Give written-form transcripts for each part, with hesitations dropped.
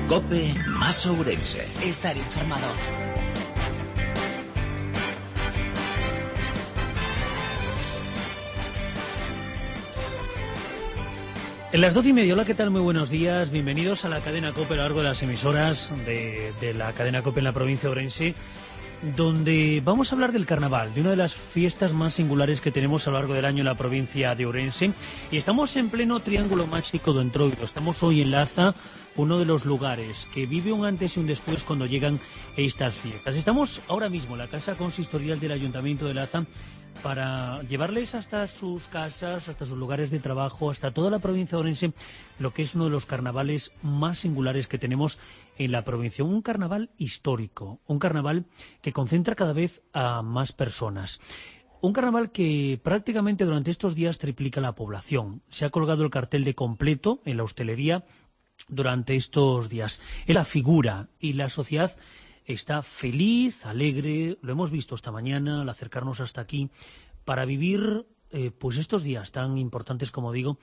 COPE más Ourense. Estar informado. En las 12:30, hola, ¿qué tal? Muy buenos días, bienvenidos a la cadena COPE a lo largo de las emisoras de la cadena COPE en la provincia de Ourense, donde vamos a hablar del carnaval, de una de las fiestas más singulares que tenemos a lo largo del año en la provincia de Ourense, y estamos en pleno triángulo mágico de Entroido. Estamos hoy en Laza, uno de los lugares que vive un antes y un después cuando llegan estas fiestas. Estamos ahora mismo en la casa consistorial del Ayuntamiento de Laza para llevarles hasta sus casas, hasta sus lugares de trabajo, hasta toda la provincia de Ourense, lo que es uno de los carnavales más singulares que tenemos en la provincia. Un carnaval histórico, un carnaval que concentra cada vez a más personas. Un carnaval que prácticamente durante estos días triplica la población. Se ha colgado el cartel de completo en la hostelería durante estos días. La figura y la sociedad está feliz, alegre, lo hemos visto esta mañana al acercarnos hasta aquí, para vivir pues estos días tan importantes, como digo,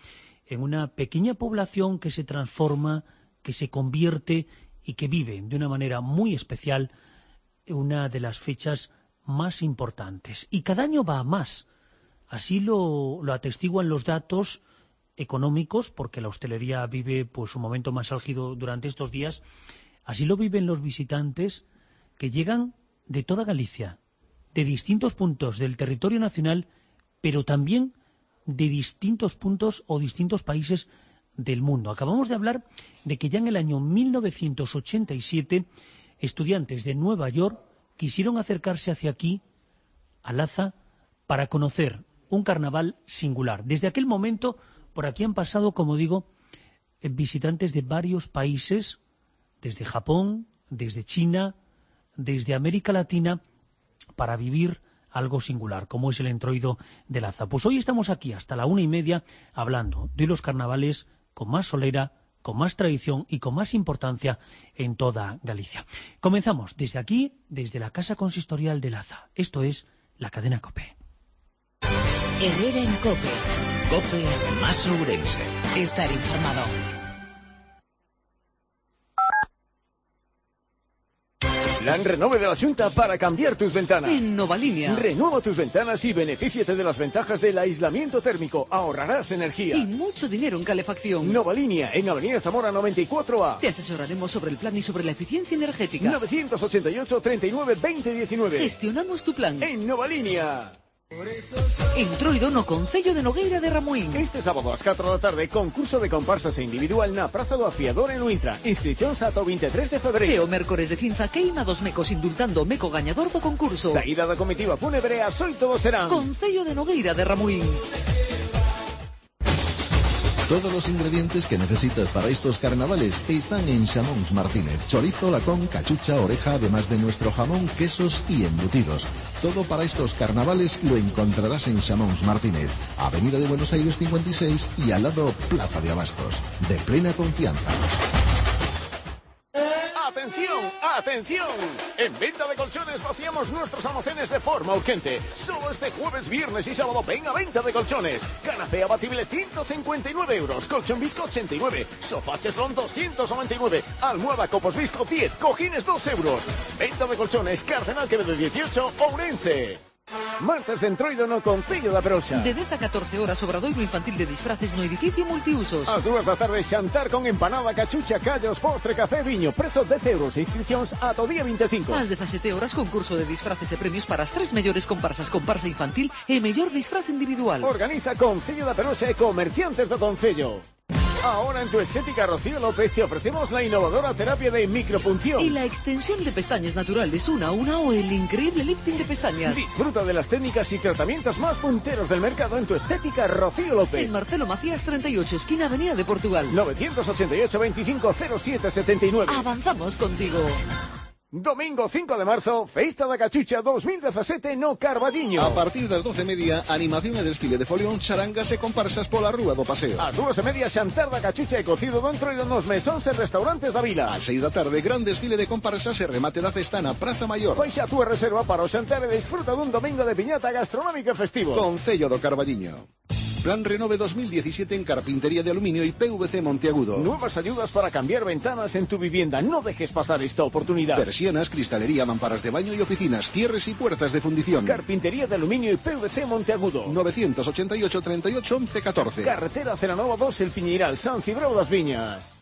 en una pequeña población que se transforma, que se convierte y que vive de una manera muy especial una de las fechas más importantes. Y cada año va a más. Así lo atestiguan los datos económicos, porque la hostelería vive pues un momento más álgido durante estos días. Así lo viven los visitantes que llegan de toda Galicia, de distintos puntos del territorio nacional, pero también de distintos puntos o distintos países del mundo. Acabamos de hablar de que ya en el año 1987 estudiantes de Nueva York quisieron acercarse hacia aquí, a Laza, para conocer un carnaval singular. Desde aquel momento, por aquí han pasado, como digo, visitantes de varios países, desde Japón, desde China, desde América Latina, para vivir algo singular, como es el Entroido de Laza. Pues hoy estamos aquí hasta la 1:30 hablando de los carnavales con más solera, con más tradición y con más importancia en toda Galicia. Comenzamos desde aquí, desde la Casa Consistorial de Laza. Esto es la cadena COPE. Herrera en COPE. COPE más Ourense. Estar informado. Plan Renove de la Xunta para cambiar tus ventanas. En Novalínea. Renueva tus ventanas y benefíciate de las ventajas del aislamiento térmico. Ahorrarás energía. Y mucho dinero en calefacción. Novalínea, en Avenida Zamora 94A. Te asesoraremos sobre el plan y sobre la eficiencia energética. 988 39 20 19. Gestionamos tu plan. En Novalínea. Entroido no Concello de Nogueira de Ramuín. Este sábado ás 4 da tarde, concurso de comparsas e individual na Praza do Afiador en Luintra. Inscricións ata o 23 de E febreiro. o mércores de cinza queima dos mecos indultando o meco gañador do concurso. Saída da comitiva fúnebre ás 8 do serán. Concello de Nogueira de Ramuín. Todos los ingredientes que necesitas para estos carnavales están en Xamóns Martínez. Chorizo, lacón, cachucha, oreja, además de nuestro jamón, quesos y embutidos. Todo para estos carnavales lo encontrarás en Xamóns Martínez, Avenida de Buenos Aires 56 y al lado Plaza de Abastos. De plena confianza. ¡Atención! ¡Atención! En Venta de Colchones vaciamos nuestros almacenes de forma urgente. Solo este jueves, viernes y sábado ven a Venta de Colchones. Canapé abatible 159 euros, colchón Visco 89, sofá cheslón 299, almohada Copos Visco 10, cojines 2 euros. Venta de Colchones, Cardenal Quevedo 18, Ourense. Martes de Entroido no Concello da Peroxa. De 10 a 14 horas, obradoiro infantil de disfraces no edificio multiusos. Ás 2 da tarde, xantar con empanada, cachucha, callos, postre, café, viño. Prezo 10 euros e inscripcións ata o día 25. Ás 17 horas, concurso de disfraces e premios para as 3 mellores comparsas, comparsa infantil e mellor disfraz individual. Organiza Concello da Peroxa e comerciantes do Concello. Ahora en tu estética Rocío López te ofrecemos la innovadora terapia de micropunción. Y la extensión de pestañas naturales una a una o el increíble lifting de pestañas. Disfruta de las técnicas y tratamientos más punteros del mercado en tu estética Rocío López. En Marcelo Macías 38, esquina Avenida de Portugal. 988 25 07 79. Avanzamos contigo. Domingo 5 de marzo, Festa da Cachucha 2017 no Carballiño. A partir das 12:30, animación e desfile de folión, charangas e comparsas pola Rúa do Paseo. Ás 2:30, xantar da Cachucha e cocido do Entroido nos mesóns e restaurantes da vila. Ás 6 da tarde, gran desfile de comparsas e remate da festa na Praza Maior. Faixa a túa reserva para o xantar e disfruta dun domingo de piñata gastronómica e festivo. Concello do Carballiño. Plan Renove 2017 en carpintería de aluminio y PVC Monteagudo. Nuevas ayudas para cambiar ventanas en tu vivienda. No dejes pasar esta oportunidad. Persianas, cristalería, mamparas de baño y oficinas, cierres y puertas de fundición. Carpintería de aluminio y PVC Monteagudo. 988 38 11 14. Carretera Celanova 2, El Piñeiral, San Cibrao das Viñas.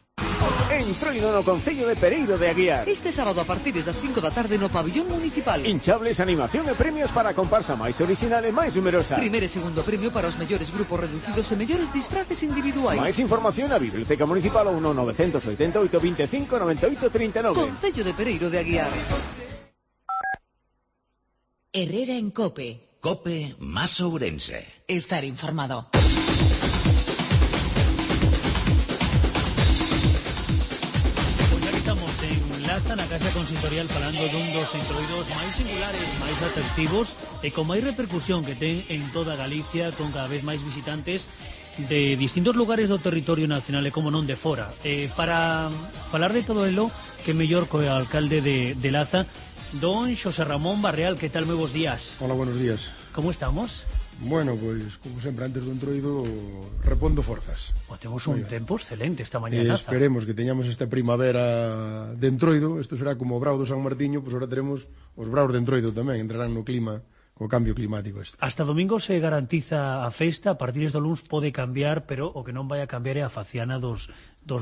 Entroido no Concello de Pereiro de Aguiar. Este sábado a partir das 5 da tarde no pabillón municipal. Hinchables, animación e premios para a comparsa máis original e máis numerosa. Primeiro e segundo premio para os mellores grupos reducidos e mellores disfraces individuais. Máis información na Biblioteca Municipal ou no 988 25 98 39. Concello de Pereiro de Aguiar. Herrera en COPE. COPE más Ourense. Estar informado. Laza na Casa Consistorial falando dun dos entroidos máis singulares, máis atractivos e con máis repercusión que ten en toda Galicia, con cada vez máis visitantes de distintos lugares do territorio nacional e como non de fora. Para falar de todo elo, que mellor co alcalde de Laza, don Xosé Ramón Barreal. Que tal, moi bons días? Hola, buenos días. Como estamos? Bueno, pois, como sempre, antes do entroido repondo forzas. Temos un tempo excelente esta mañá en Laza. Esperemos que teñamos esta primavera de entroido. Isto será como o brao do San Martiño, pois ahora teremos os braos de entroido tamén, entrarán no clima, co cambio climático este. Hasta domingo se garantiza a festa, a partir do luns pode cambiar, pero o que non vai a cambiar é a faciana dos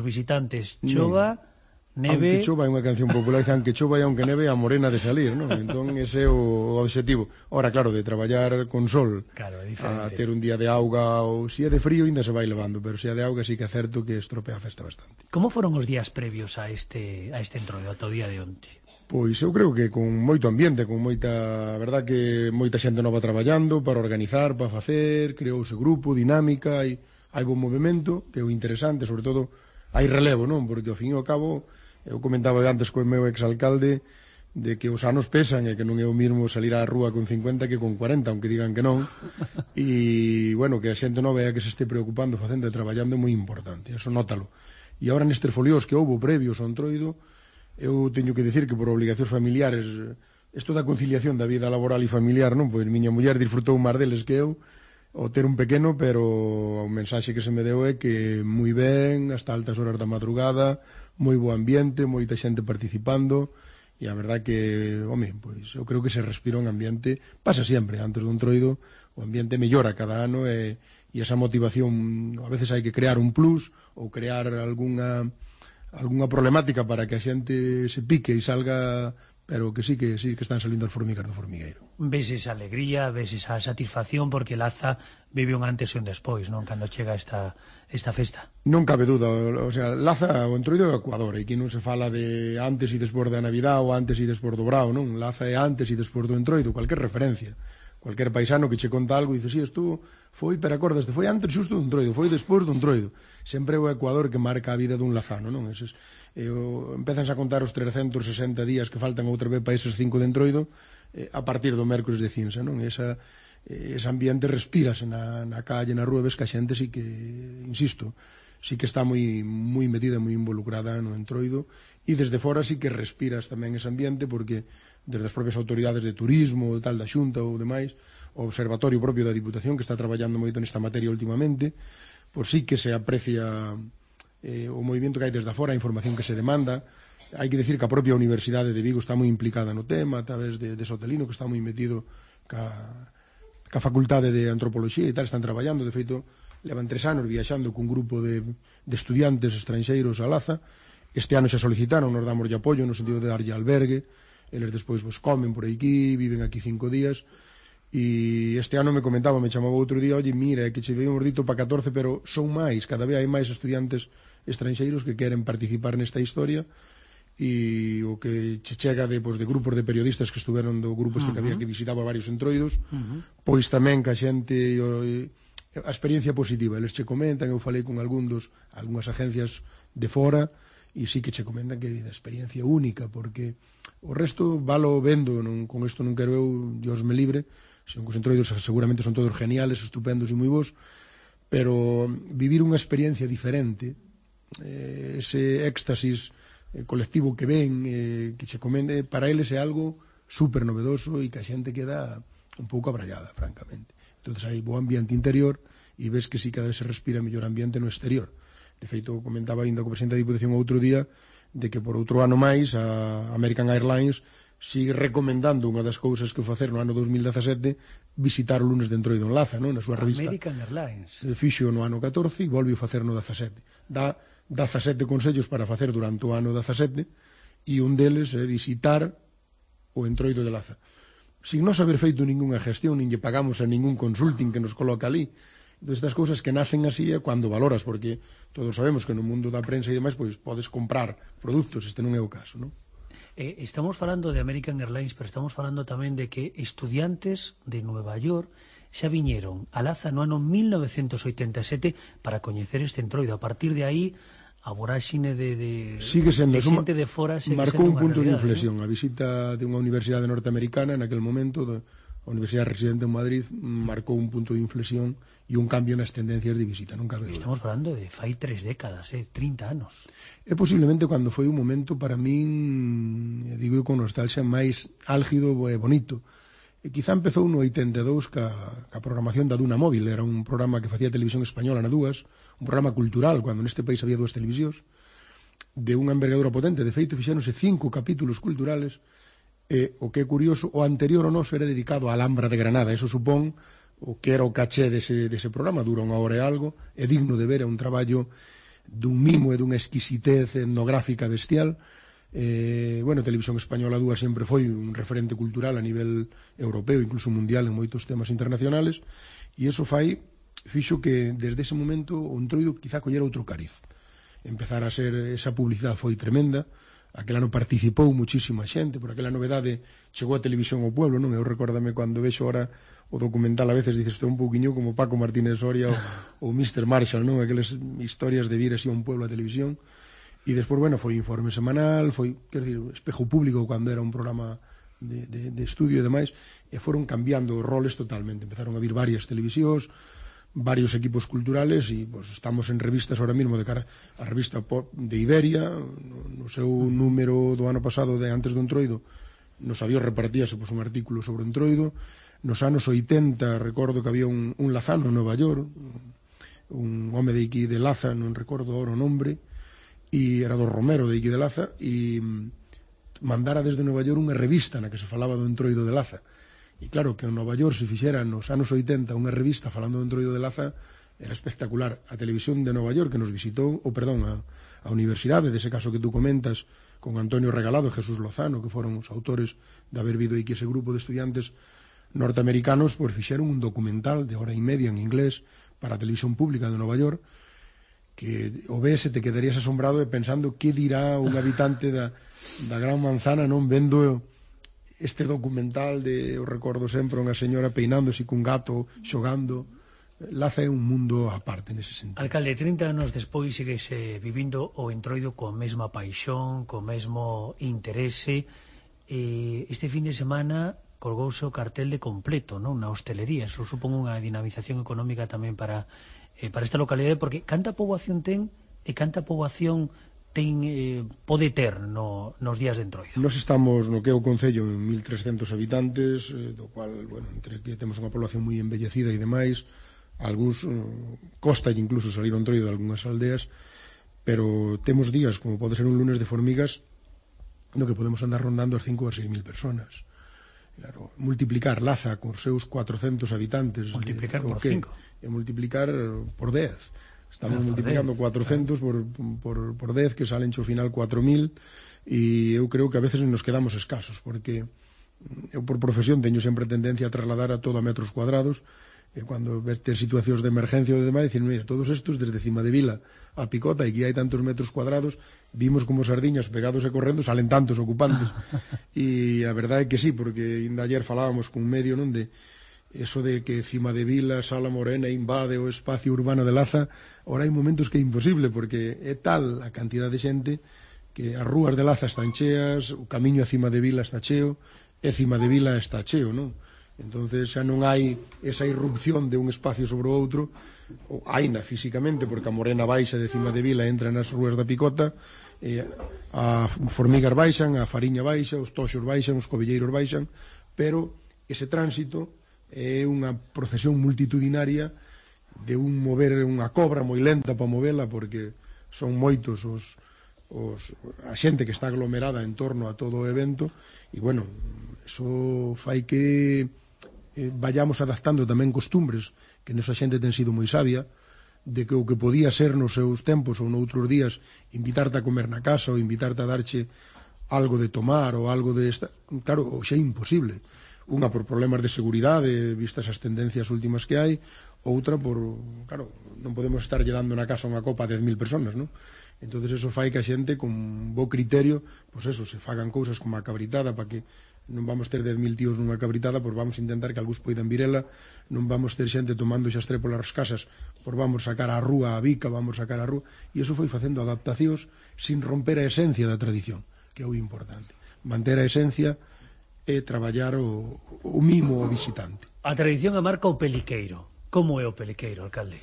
visitantes. Chova... Neve... Aunque chova é unha canción popular, aunque chova e aunque neve, a morena de salir, non? Entón ese é o objetivo. Ora, claro, de traballar con sol, claro, a ter un día de auga, ou se é de frío ainda se vai levando, pero se é de auga sí que é certo que estropea a festa bastante. Como foron os días previos a este entroido, ata o día de onte? Pois eu creo que con moito ambiente, con moita, a verdad que moita xente nova traballando para organizar, para facer, creouse grupo, dinámica, hai bon movimento, que é o interesante, sobre todo hai relevo, non? Porque ao fin e ao cabo, eu comentaba antes co meu exalcalde de que os anos pesan e que non é o mesmo salir á rúa con 50 que con 40, aunque digan que non. E, bueno, que a xente nova é que se este preocupando, facendo e traballando é moi importante, eso nótalo. E agora nestes folios que houbo previos ao entroido, eu teño que dicir que por obligacións familiares, isto da conciliación da vida laboral e familiar, non? Pois miña muller disfrutou máis deles que eu, o ter un pequeno, pero o mensaxe que se me deu é que moi ben, hasta altas horas da madrugada, moi bo ambiente, moita xente participando, e a verdad que, home, pois eu creo que se respira un ambiente, pasa sempre, antes do entroido, o ambiente mellora cada ano e esa motivación, a veces hai que crear un plus ou crear algunha problemática para que a xente se pique e salga, pero que sí que están salindo as formigas do formigueiro. Ves esa alegría, ves esa satisfacción, porque Laza vive un antes e un despois, non? Cando chega esta festa. Non cabe duda, o sea, Laza, o entroido é o Ecuador, e aquí non se fala de antes e despois da Navidad ou antes e despois do brao, non? Laza é antes e despois do entroido, cualquier referencia. Cualquier paisano que che conta algo e dice, sí, isto foi, pero acordaste, foi antes xusto do entroido, foi despois do entroido. Sempre é o Ecuador que marca a vida dun lazano, non? Empezan a contar os 360 días que faltan outra vez para eses 5 de entroido a partir do mércores de cinza, non? Ese ambiente respírase na calle, na rúa, ves que a xente sí que, insisto, sí que está moi metida, moi involucrada no entroido, e desde fora sí que respiras tamén ese ambiente, porque desde as propias autoridades de turismo, tal, da Xunta ou demais, o observatorio propio da Diputación, que está traballando moito nesta materia últimamente, pois sí que se aprecia o movimento que hai desde fora, a información que se demanda. Hai que decir que a propia Universidade de Vigo está moi implicada no tema, a través de Sotelino, que está moi metido ca Facultade de Antropoloxía e tal, están traballando. De feito, levan 3 anos viaxando cun grupo de estudiantes estranxeiros a Laza. Este ano xa solicitaron, nos damos de apoio no sentido de darlle albergue. Eles despois comen por aquí, viven aquí 5 días. E este ano me chamaba outro día, oye, mira, que che veíamos dito para 14, pero son máis, cada vez hai máis estudiantes estranxeiros que queren participar nesta historia, e o que che chega de grupos de periodistas que estuveron do grupo este que había que visitaba varios entroidos, pois tamén que a xente, a experiencia positiva, eles che comentan, eu falei con algunhas agencias de fora, e sí que che comentan que é a experiencia única, porque o resto valo vendo, con isto non quero eu, Dios me libre, senón que os entroidos seguramente son todos geniales, estupendos e moi bons, pero vivir unha experiencia diferente, ese éxtasis colectivo que ven, que che comende, para eles é algo super novedoso e que a xente queda un pouco abrallada, francamente. Entón hai bo ambiente interior e ves que sí cada vez se respira mellor ambiente no exterior. De feito, comentaba ainda co presidente da Diputación outro día de que por outro ano máis a American Airlines sigue recomendando unha das cousas que facer no ano 2017 visitar o lunes de Entroido en Laza, non? Na súa revista American Airlines fixo no ano 14 e volve a facer no 17. Dá 17 consellos para facer durante o ano 17 e un deles é visitar o Entroido de Laza sin non haber feito ningunha gestión, nin lle pagamos a ningún consulting que nos coloca ali. Entón, estas cousas que nacen así é cando valoras, porque todos sabemos que no mundo da prensa e demais pois podes comprar produtos, este non é o caso, non? Estamos falando de American Airlines, pero estamos falando tamén de que estudiantes de Nueva York xa viñeron a Laza no ano 1987 para coñecer este Entroido. A partir de aí, a voráxine de xente de fora marcou un punto de realidade, inflexión, ¿no? A visita de unha universidade norteamericana naquel momento, a Universidade Residente en Madrid, marcou un punto de inflexión e un cambio nas tendencias de visita, non cabe dúda. Estamos falando de fai 3 décadas, 30 anos. É posiblemente cando foi un momento para min, digo con nostalgia, máis álgido e bonito. E quizá empezou no 82 ca programación da Duna Móvil, era un programa que facía Televisión Española na Dúas, un programa cultural, cando neste país había 2 televisións, de unha envergadura potente. De feito, fixéronse 5 capítulos culturales, e o que é curioso, o anterior ao noso era dedicado á Alhambra de Granada. Eso supón o que era o caché dese programa, dura 1 hora e algo, é digno de ver, é un traballo dun mimo e dunha exquisitez etnográfica bestial. Televisión Española 2 sempre foi un referente cultural a nivel europeo, incluso mundial en moitos temas internacionales, e iso fixo que desde ese momento o Entroido quizá collera outro cariz. Empezar a ser, esa publicidade foi tremenda. Aquel ano participou muchísima xente, por aquela novedade chegou a Televisión ao Pueblo, non? Eu recórdame cando vexo ahora o documental, a veces dices, un pouquiño como Paco Martínez Soria ou Mr. Marshall, non? Aquelas historias de vir así a un pueblo a televisión. E despois, foi informe semanal, foi, quero dicir, Espejo Público cando era un programa de estudio e demais, e foron cambiando roles totalmente. Empezaron a vir varias televisións, varios equipos culturales, e estamos en revistas ahora mismo de cara a revista de Iberia, no seu número do ano pasado de Antes do Entroido, nos había repartíase un artículo sobre o Entroido. Nos anos 80 recordo que había un lazano en Nova York, un home de Iqui de Laza, non recordo ahora o nombre, e era do Romero de Iqui de Laza, e mandara desde Nova York unha revista na que se falaba do Entroido de Laza. E claro, que en Nova York se fixera nos anos 80 unha revista falando do Entroido de Laza era espectacular. A Televisión de Nova York que nos visitou, a universidade, dese caso que tú comentas, con Antonio Regalado e Jesús Lozano, que foron os autores de haber vido aquí ese grupo de estudiantes norteamericanos, pois fixeron un documental de hora e media en inglés para a Televisión Pública de Nova York, que o ves e te quedarías asombrado pensando que dirá un habitante da Gran Manzana non vendo este documental de, eu recordo sempre, unha señora peinándose cun gato, xogando. Laza é un mundo aparte nese sentido. Alcalde, 30 anos despois seguese vivindo o Entroido coa mesma paixón, co mesmo interese. Este fin de semana colgouse o cartel de completo, non? Na hostelería. Eso supón unha dinamización económica tamén para esta localidade, porque canta poboación ten e canta poboación pode ter nos días de Entroido. Nos estamos no que é o Concello en 1.300 habitantes, do cual, entre que temos unha población moi embellecida e demais, algúns costa incluso salir ao Entroido de algunhas aldeas, pero temos días, como pode ser un lunes de formigas, no que podemos andar rondando as 5 ou as 6.000 personas. Claro, multiplicar Laza con seus 400 habitantes, multiplicar por 5 e multiplicar por 10. Estamos multiplicando 400 por 10, que salen ao final 4.000, e eu creo que a veces nos quedamos escasos, porque eu por profesión teño sempre tendencia a trasladar a todo a metros cuadrados, e cando ves situacións de emergencia ou de demais, dicir, mira, todos estos desde Cima de Vila a Picota, e que hai tantos metros cuadrados, vimos como sardiñas pegados e correndo salen tantos ocupantes. E a verdade é que sí, porque ainda ayer falábamos con un medio, non, de eso de que Cima de Vila, Sala Morena invade o espacio urbano de Laza. Ora hai momentos que é imposible, porque é tal a cantidad de xente que as rúas de Laza están cheas, o camiño a Cima de Vila está cheo, e Cima de Vila está cheo, non? Entonces xa non hai esa irrupción de un espacio sobre o outro, haina físicamente, porque a Morena baixa de Cima de Vila entra nas rúas da Picota, a Formigas baixan, a Fariña baixa, os Toxos baixan, os Covilleiros baixan, pero ese tránsito é unha procesión multitudinaria un mover unha cobra moi lenta para movela, porque son moitos a xente que está aglomerada en torno a todo o evento, e bueno, eso fai que vayamos adaptando tamén costumbres, que nesa xente ten sido moi sabia, de que o que podía ser nos seus tempos ou noutros días invitarte a comer na casa ou invitarte a darche algo de tomar ou algo de claro, xa é imposible, unha por problemas de seguridade vistas as tendencias últimas que hai, outra por, claro, non podemos estar lle dando na casa unha copa a 10.000 personas, non? Entonces eso fai que a xente con bo criterio, pois eso, se fagan cousas como a cabritada, para que non vamos ter 10.000 tíos nunha cabritada, pois vamos intentar que algúns poidan virela, non vamos ter xente tomando xa estre polas casas, pois vamos sacar á rúa a bica, vamos sacar á rúa, e eso foi facendo adaptacións sin romper a esencia da tradición, que é o importante. Manter a esencia e traballar o mimo ao visitante. A tradición a marca o peliqueiro. Como é o peliqueiro, alcalde?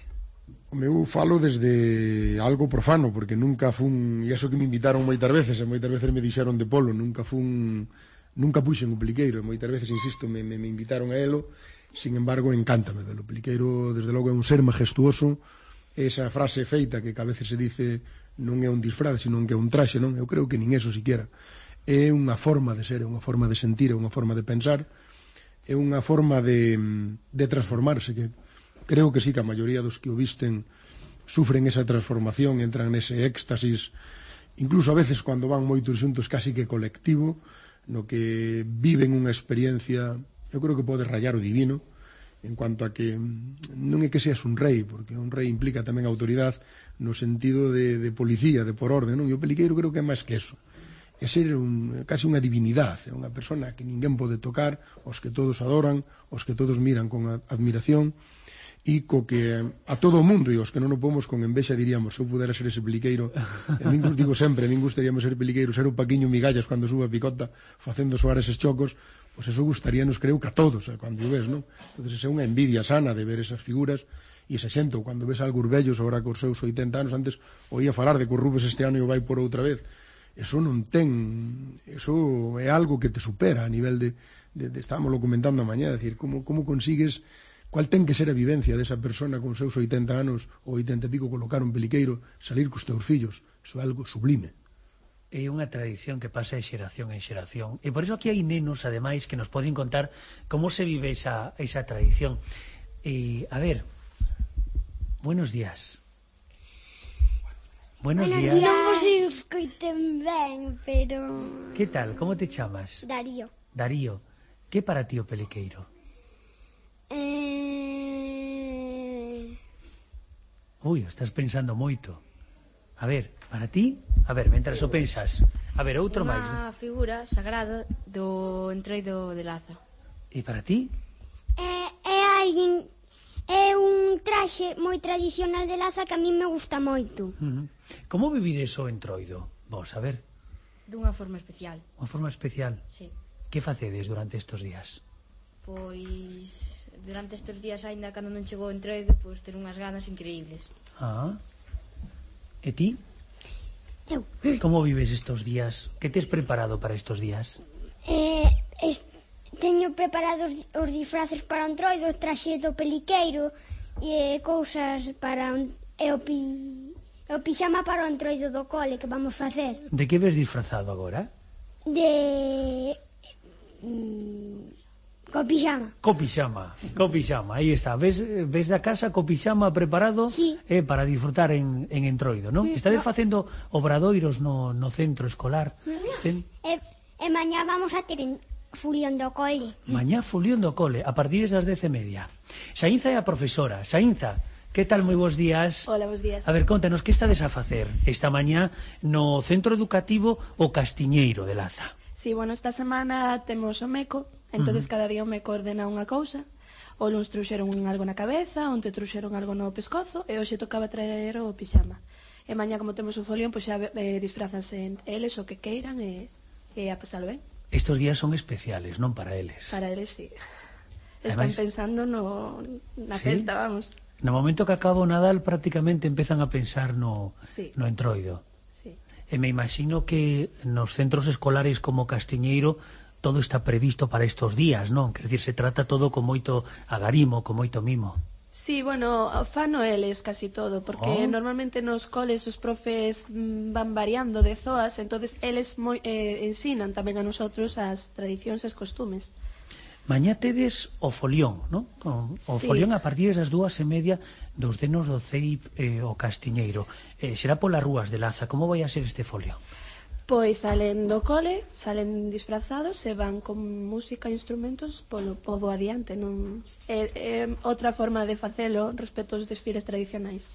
Eu falo desde algo profano, porque nunca fun, e eso que me invitaron moitas veces, e moitas veces me dixeron de polo, nunca puxen o peliqueiro, e moitas veces, insisto, me invitaron a elo, sin embargo, encántame velo. O peliqueiro, desde logo, é un ser majestuoso, esa frase feita que a veces se dice non é un disfraz, sino que é un traxe, non? Eu creo que nin eso siquiera. É unha forma de ser, é unha forma de sentir, é unha forma de pensar, é unha forma de transformarse, que creo que sí que a maioría dos que o visten sufren esa transformación, entran nese éxtasis, incluso a veces cando van moitos xuntos casi que colectivo, no que viven unha experiencia, eu creo que pode rayar o divino, en cuanto a que non é que seas un rei, porque un rei implica tamén autoridade no sentido de policía, de por orden, non? E o peliqueiro creo que é máis que eso, é ser casi unha divinidade, é unha persona que ninguén pode tocar, os que todos adoran, os que todos miran con admiración, e co que a todo o mundo, e os que non o pomos con envexa diríamos, se eu pudera ser ese peliqueiro, digo sempre, a min gustaríamos ser peliqueiro, ser o Paquiño Migallas cando sube a picota facendo soar eses chocos, pois eso gustaríanos, creo que a todos, cando o ves, non? Entonces é unha envidia sana de ver esas figuras, e ese xento, cando ves algúns vellos agora cos seus 80 anos, antes oía falar de que o Rubens este ano e o vai por outra vez, eso non ten, eso é algo que te supera a nivel de estámoslo comentando a mañá, decir, como consigues, cual ten que ser a vivencia desa persona con seus 80 anos ou 80 e pico, colocar un peliqueiro, salir cos teus fillos, iso é algo sublime. É unha tradición que pasa de xeración en xeración, e por iso aquí hai nenos, ademais, que nos poden contar como se vive esa tradición. E, a ver, buenos días. Buenos días. Non vos escoiten ben, pero... Que tal? Como te chamas? Darío. Darío. Que para ti o peliqueiro? Ui, estás pensando moito. A ver, para ti? A ver, mentras o pensas. A ver, outro máis. Unha figura sagrada do Entroido de Laza. E para ti? É un traxe moi tradicional de Laza que a mí me gusta moito. Como vivides o Entroido? Vos, a ver. Dunha forma especial. Unha forma especial? Sí. Que facedes durante estes días? Pois durante estes días, aínda cando non chegou o Entroido, pois ter unhas ganas increíbles. E ti? Eu. Como vives estes días? Que tes preparado para estes días? Teño preparados os disfraces para o Entroido, o traxe do peliqueiro e cousas para o pixama para o Entroido do cole que vamos facer. De que ves disfrazado agora? Co pixama. Co pixama, aí está. Ves da casa co pixama preparado? Sí. Para disfrutar en Entroido, non? Estades facendo obradoiros no centro escolar. E mañá vamos a ter fulión do cole. Mañá fulión do cole, a partir das 10:30. Saínza é a profesora. Saínza, que tal? Moi bons días. Hola, bons días. A ver, contanos, que estades a facer esta mañá no centro educativo O Castiñeiro de Laza? Sí, bueno, esta semana temos o MECO, entonces cada día o MECO ordena unha cousa. O luns trouxeron algo na cabeza, onte trouxeron algo no pescozo, e hoxe tocaba traer o pixama. E mañá, como temos o folión, pois xa disfrazanse eles o que queiran e a pasalo ben. Estos días son especiales, non para eles? Para eles, sí. Están pensando na festa, vamos. No momento que acaba o Nadal, prácticamente empezan a pensar no Entroido. E me imagino que nos centros escolares como Castiñeiro todo está previsto para estes días, non? Quer dicir, se trata todo con moito agarimo, con moito mimo. Sí, bueno, fano eles casi todo, porque normalmente nos coles os profes van variando de zoas, entonces eles ensinan tamén a nosotros as tradicións e os costumes. Mañá tedes o folión, non? O folión a partir das 2:30 dos denos do CEIP o Castiñeiro. Será polas rúas de Laza. Como vai a ser este folión? Pois salen do cole, salen disfrazados e van con música e instrumentos polo pobo adiante, non? É outra forma de facelo respecto aos desfiles tradicionais.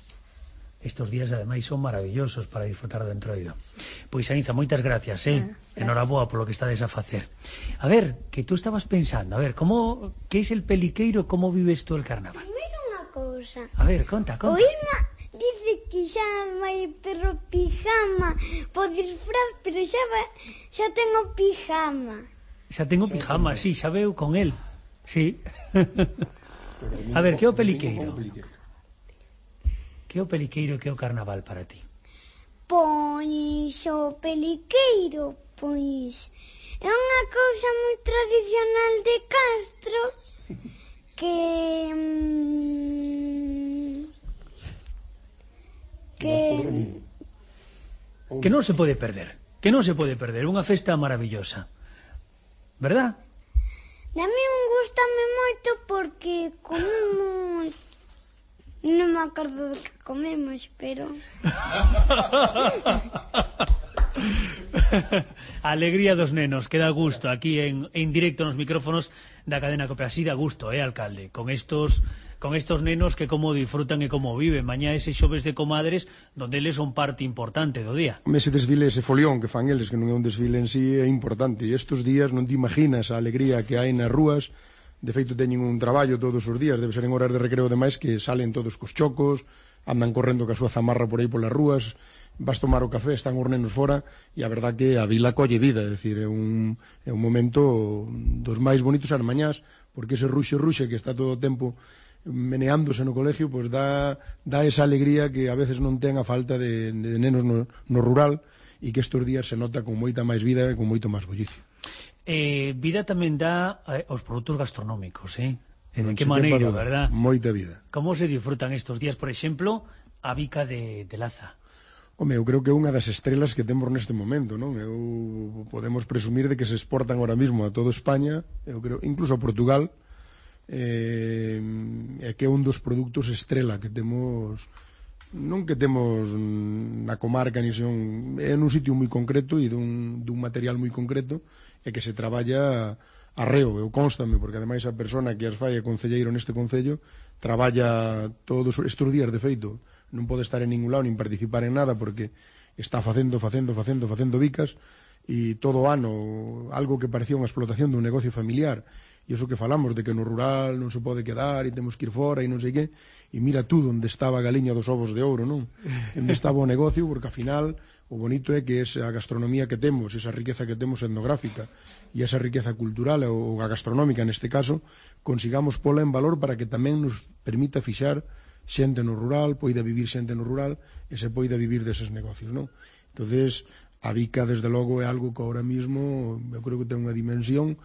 Estos días, ademais, son maravillosos para disfrutar do Entroido. Pois, Aínza, moitas gracias, Enhoraboa polo que estades a facer. A ver, que tú estabas pensando, a ver, que é el peliqueiro, como vives tú el carnaval? Primeiro unha cousa. A ver, conta. O Irma dice que xa vai ter o pijama po disfraz, pero xa tengo pijama. Xa tengo pijama, sí, xa veu con el. Sí. A ver, que é o peliqueiro? Que é o peliqueiro e que é o carnaval para ti? Pois o peliqueiro, pois é unha cousa moi tradicional de Castro que non se pode perder. Que non se pode perder, unha festa maravillosa. Verdad? A mí gustame moito porque comemos. Non me acordo do que comemos, pero... A alegría dos nenos, que dá gusto aquí en directo nos micrófonos da cadena COPE. Así dá gusto, alcalde, con estos nenos que como disfrutan e como viven. Mañá ese xoves de comadres donde eles son parte importante do día. Ese desfile, ese folión que fan eles, que non é un desfile en sí, é importante. E estes días non te imaginas a alegría que hai nas rúas. De feito, teñen un traballo todos os días, debe ser en horas de recreo demais, que salen todos cos chocos, andan correndo ca súa zamarra por aí polas rúas, vas tomar o café, están os nenos fora, e a verdad que a vila colle vida, é dicir, é un momento dos máis bonitos as mañás, porque ese ruxe que está todo o tempo meneándose no colegio, pois dá esa alegría que a veces non ten a falta de nenos no rural, e que estes días se nota con moita máis vida e con moito máis bullicio. Vida tamén dá aos produtos gastronómicos, de que maneira, verdad? Moita vida. Como se disfrutan estes días, por exemplo, a bica de Laza? Home, eu creo que é unha das estrelas que temos neste momento, non? Podemos presumir de que se exportan ahora mismo a toda España, eu creo, incluso a Portugal, e que é un dos produtos estrela que temos, non que temos na comarca, ni son, é nun sitio moi concreto e dun material moi concreto, e que se traballa arreo, eu constame, porque ademais a persona que as fai é concelleiro neste concello, traballa todos estes días, de feito, non pode estar en ningún lado nin participar en nada, porque está facendo bicas, e todo o ano algo que parecía unha explotación dun negocio familiar, e iso que falamos de que no rural non se pode quedar e temos que ir fora e non sei que, e mira tú onde estaba a galiña dos ovos de ouro, non? Onde estaba o negocio, porque ao final o bonito é que esa gastronomía que temos, esa riqueza que temos etnográfica e esa riqueza cultural ou a gastronómica neste caso, consigamos pola en valor para que tamén nos permita fixar xente no rural, poida vivir xente no rural e se poida vivir deses negocios, non? Entonces, a bica, desde logo, é algo que ahora mismo eu creo que ten unha dimensión,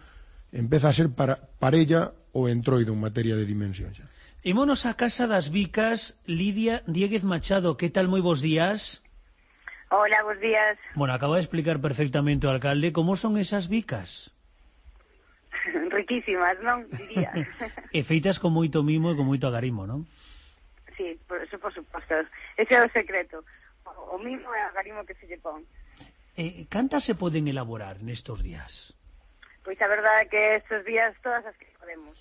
empeza a ser parella o Entroido en materia de dimensión xa. Ímonos a casa das bicas. Lidia Diéguez Machado, que tal? Moi bons días. Hola, bons días. Bueno, acaba de explicar perfectamente o alcalde como son esas bicas. Riquísimas, non? Diría. E feitas con moito mimo e con moito agarimo, non? Sí, por suposto. Ese é o secreto. O mimo é o agarimo que se lle pon. Cantas se poden elaborar nestos días? Pois a verdade é que estes días todas as que podemos.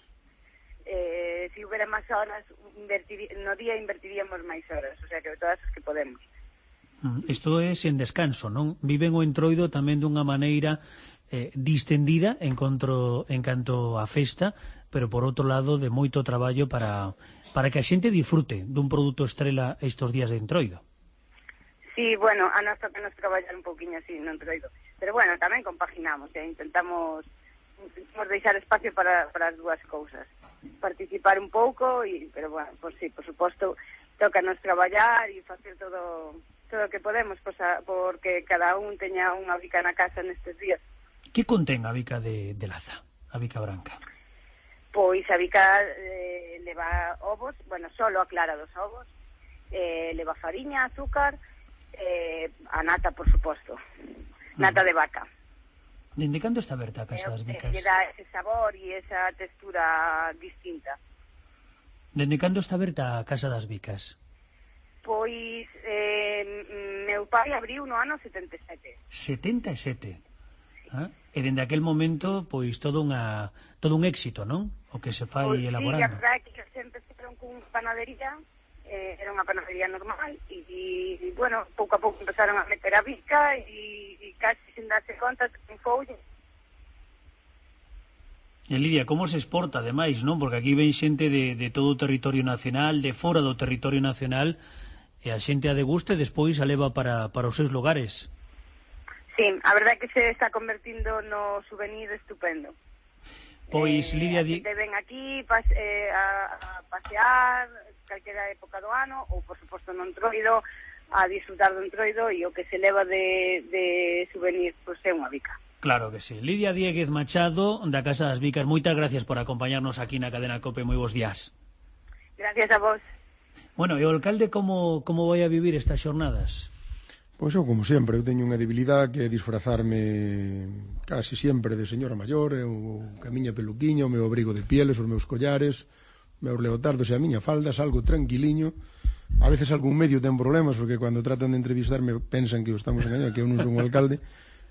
Se houbera máis horas, no día invertiríamos máis horas, o sea que todas as que podemos. Isto é sen descanso, non? Viven o Entroido tamén dunha maneira distendida en canto a festa, pero por outro lado de moito traballo para que a xente disfrute dun produto estrela estes días de Entroido. Sí, bueno, a nós toca nos traballar un pouquiño así no Entroido, pero bueno, tamén compaginamos, intentamos deixar espacio para as dúas cousas, participar un pouco, pero bueno, por sí, por suposto, toca nos traballar e facer todo o que podemos, porque cada un teña unha bica na casa nestes días. Que contén a bica de Laza, a bica branca? Pois a bica leva ovos, bueno, solo a clara dos ovos, leva fariña, azúcar, a nata, por suposto, nata de vaca. Dende cando está aberta a Casa das Bicas? Que dá ese sabor e esa textura distinta. Dende cando está aberta a Casa das Bicas? Pois meu pai abriu no ano 77. 77? Ah, e dende aquel momento, pois, todo un éxito, non? O que se fai pois, elaborando. Sí, a verdade é que se empezaron con panadería, era unha panadería normal, e bueno, pouco a pouco empezaron a meter a bica, e casi sin darse conta, triunfoulle. E Lidia, como se exporta, ademais, non? Porque aquí ven xente de todo o territorio nacional, de fora do territorio nacional, e a xente a degusta e despois a leva para os seus lugares. Sí, a verdade é que se está convertindo no souvenir estupendo. Pois, Lidia... ven aquí a pasear calquera época do ano, ou, por suposto, no Entroido, a disfrutar do Entroido, e o que se leva de souvenir, pois, é unha bica. Claro que sí. Lidia Dieguez Machado, da Casa das Bicas, moitas gracias por acompañarnos aquí na Cadena COPE. Moi bons días. Gracias a vos. Bueno, e o alcalde como vai a vivir estas xornadas? Pois eu, como sempre, eu teño unha debilidade que é disfrazarme casi sempre de señora maior, eu camiña peluquiña, o meu abrigo de pieles, os meus collares, meus leotardos e a miña falda, salgo tranquiliño. A veces algún medio ten problemas, porque cando tratan de entrevistarme pensan que o estamos engañando, que eu non son o alcalde,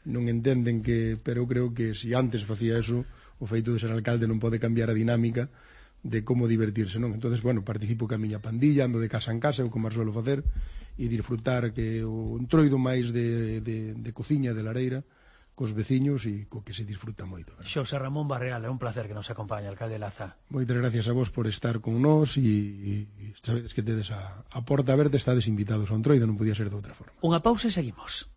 non entenden que, pero eu creo que se antes facía eso, o feito de ser alcalde non pode cambiar a dinámica de como divertirse, non? Entonces, bueno, participo ca miña pandilla, ando de casa en casa, eu como suelo facer, e disfrutar que o Entroido máis de cociña, de lareira, cos veciños e co que se disfruta moito. Xosé Ramón Barreal, é un placer que nos acompañe, alcalde Laza. Moitas gracias a vos por estar con nós e sabedes que tedes a porta aberta, estades invitados ao Entroido, non podía ser de outra forma. Unha pausa e seguimos.